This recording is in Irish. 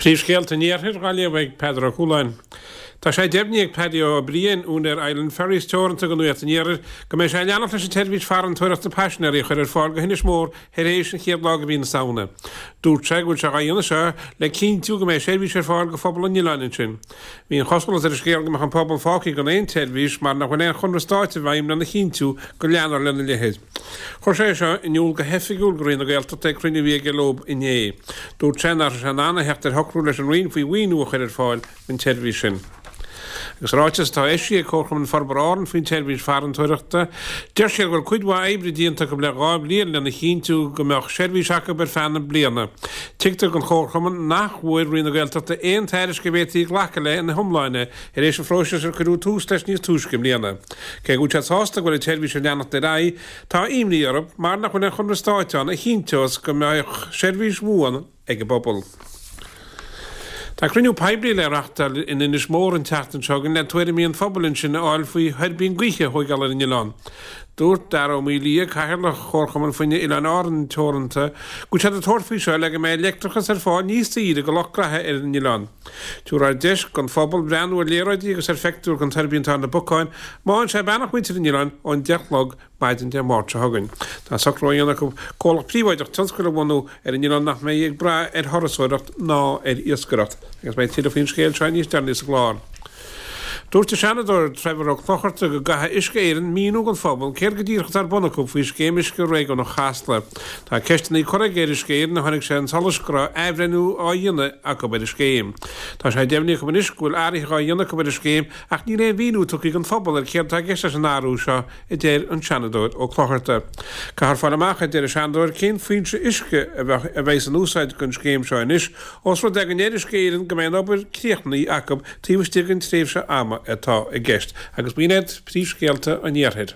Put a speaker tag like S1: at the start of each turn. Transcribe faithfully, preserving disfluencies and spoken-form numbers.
S1: Príomhscéalta an Iarthair á léamh ag Peadar Ó Cualáin. Tá sé deimhnithe ag Paddy Ó Briain, úinéir Island Ferries Teoranta do Nuacht an Iarthair, go mbeidh sé ag leanacht leis an tseirbhís farantóireachta paisinéirí a chur ar fáil go hInis Mór tar éis an chéad lá de mhí na Samhna. Dúirt sé go bhfuil sé á dhéanamh seo le cinntiú go mbeidh seirbhís ar fáil do phobal an oileáin ansin. Bhí an chosúlacht ar an scéal go mbeadh an pobal fágtha gan aon tseirbhís mar nach bhfuil aon chonradh stáit i bhfeidhm lena chinntiú go leanfar lena leithéid. Chuir sé seo in iúl go hoifigiúil do Roinn na Gaeltachta ag cruinniú a bhí aige leo inné. Dúirt sé nach raibh sé in ann a theacht ar shocrú leis an Roinn faoi mhaoiniú a chur ar fáil don tseirbhís sin. Agus ráiteas atá eisithe ag Comharchumann Forbartha Árann faoin tseirbhís farantóireachta, deir siad go bhfuil cuid mhaith oibre déanta acu le dhá bhliain lena chinntiú go mbeadh seirbhís acu ar feadh na bliana. Tuigtear don Chomharchumann nach bhfuair Roinn na Gaeltachta aon tairiscint a bhféadfaí glacadh léi ina hiomláine tar éis an phróisis ar cuireadh tús leis níos túisce i mbliana. Cé go bhfuil siad sásta go bhfuil an tseirbhís ag leanacht ar aghaidh, tá imní orthu mar nach bhfuil aon chonradh stáit ann a chinnteos go mbeadh seirbhís bhuan ag an bpobal. Tá cruinniú poiblí le reáchtáil in Inis Mór an tseachtain seo chugainn le tuairimí an phobail ansin a fháil faoi thuirbín gaoithe a thógáil ar an oileán. Dúirt Dara Ó Maolaodha, Cathaoirleach Chomharchumann Fuinnimh Oileáin Árann Teoranta, go bhfuil siad ag tabhairt faoi seo le go mbeidh leictreachas ar fáil níos saoire do lucht graithe ar an oileán. Tabharfar deis don phobal breathnú ar léaráidí agus ar phictiúir den tuirbín atá ar na bacáin, má fhaigheann sé beannacht mhuintir an oileáin ón deich a chlog maidin Dé Máirt seo chugainn. Tá socrú á dhéanamh acu comhlacht príobháideach tionscail a bhunú ar an oileán nach mbeidh ag brath ar thurasóireacht ná ar iascaireacht. Agus beidh tuilleadh faoin scéal seo níos deireanaí sa gclár. Dúirt an Seanadóir Trevor Ó Clochartaigh go gcaithfidh Uisce Éireann míniú don phobal céard go díreach atá ar bun acu faoi scéim uisce réigiúnach Chasla. Tá ceisteanna curtha aige ar Uisce Éireann ó tháinig sé chun solais go raibh athbhreithniú á dhéanamh acu ar an scéim. Tá sé deimhnithe acu anois go bhfuil athruithe á dhéanamh acu ar an scéim ach níl aon mhíniú tugtha don phobal ar céard atá i gceist leis an athrú seo a deir an Seanadóir Ó Clochartaigh. Caithfear fáil amach a deir an Seanadóir cén foinse uisce a bheidh in úsáid don scéim seo anois, ós rud é go ndeir Uisce Éireann go mbeidh an obair críochnaithe acu taobh istigh den tréimhse ama atá i gceist. Agus b'in iad príomhscéalta an Iarthair.